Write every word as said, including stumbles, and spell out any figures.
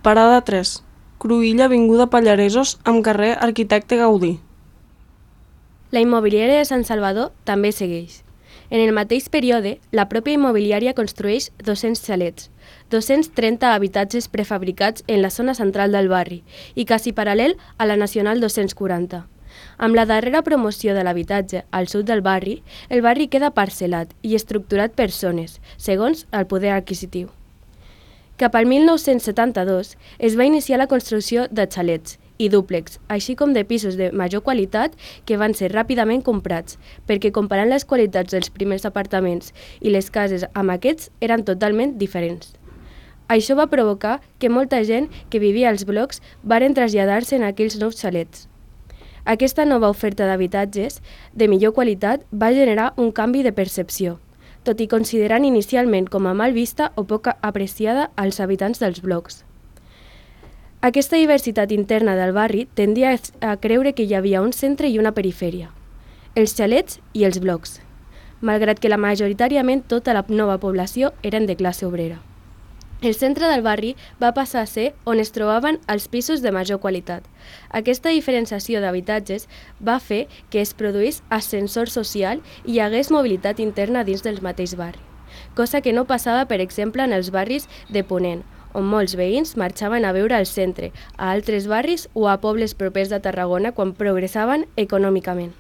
Parada tres. Cruïlla, avinguda Pallaresos, amb carrer Arquitecte Gaudí. La immobiliària de Sant Salvador també segueix. En el mateix període, la pròpia immobiliària construeix dos-cents xalets, dos-cents trenta habitatges prefabricats en la zona central del barri i quasi paral·lel a la Nacional dos-cents quaranta. Amb la darrera promoció de l'habitatge al sud del barri, el barri queda parcel·lat i estructurat per zones, segons el poder adquisitiu. Cap al mil nou-cents setanta-dos es va iniciar la construcció de xalets i dúplex, així com de pisos de major qualitat que van ser ràpidament comprats, perquè comparant les qualitats dels primers apartaments i les cases amb aquests eren totalment diferents. Això va provocar que molta gent que vivia als blocs varen traslladar-se en aquells nous xalets. Aquesta nova oferta d'habitatges de millor qualitat va generar un canvi de percepció, tot i considerant inicialment com a mal vista o poc apreciada als habitants dels blocs. Aquesta diversitat interna del barri tendia a creure que hi havia un centre i una perifèria, els xalets i els blocs, malgrat que la majoritàriament tota la nova població eren de classe obrera. El centre del barri va passar a ser on es trobaven els pisos de major qualitat. Aquesta diferenciació d'habitatges va fer que es produís ascensor social i hi hagués mobilitat interna dins del mateix barri, cosa que no passava, per exemple, en els barris de Ponent, on molts veïns marxaven a viure al centre, a altres barris o a pobles propers de Tarragona quan progressaven econòmicament.